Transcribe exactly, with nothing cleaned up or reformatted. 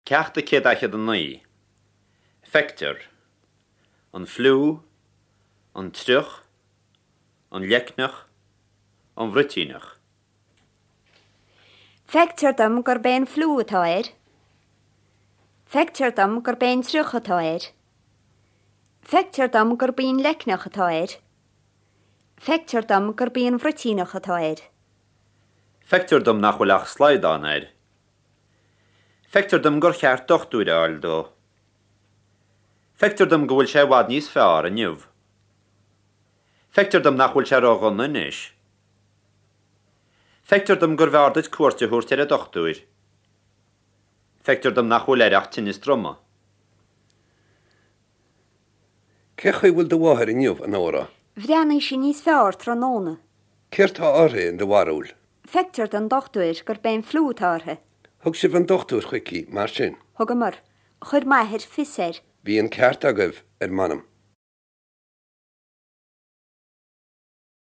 Ceacht a céad daichead a naoi. Feictear. An fliú, an triuch, an leicneach, an bhruitíneach. Feictear dom gurb é an fliú atá air. Feictear dom gurb é an triuch atá air. Feictear dom gurb í an leicneach atá air. Feictear dom gurb í an bhruitíneach atá air. Feictear dom nach bhfuil ach slaghdán air. Feictear dom gur cheart dochtúir a fháil dó. Feictear dom go bhfuil sé i bhfad níos fearr inniu. Feictear dom nach bhfuil sé ródhona anois. Feictear dom gurbh fhearr duit cuairt a thabhairt ar an dochtúir. Feictear dom nach bhfuil air ach tinneas droma. Cén chaoi a bhfuil do mháthair inniu, a Nóra? Bhreathnaigh sí níos fearr tráthnóna. Céard tá uirthi, in do bharúil? Feictear don dochtúir gurb é an fliú atá uirthi. Thug sibh an dochtúir chuici, mar sin? Thugamar. Chuir m'athair fios air. Bhí an ceart agaibh, ar m'anam.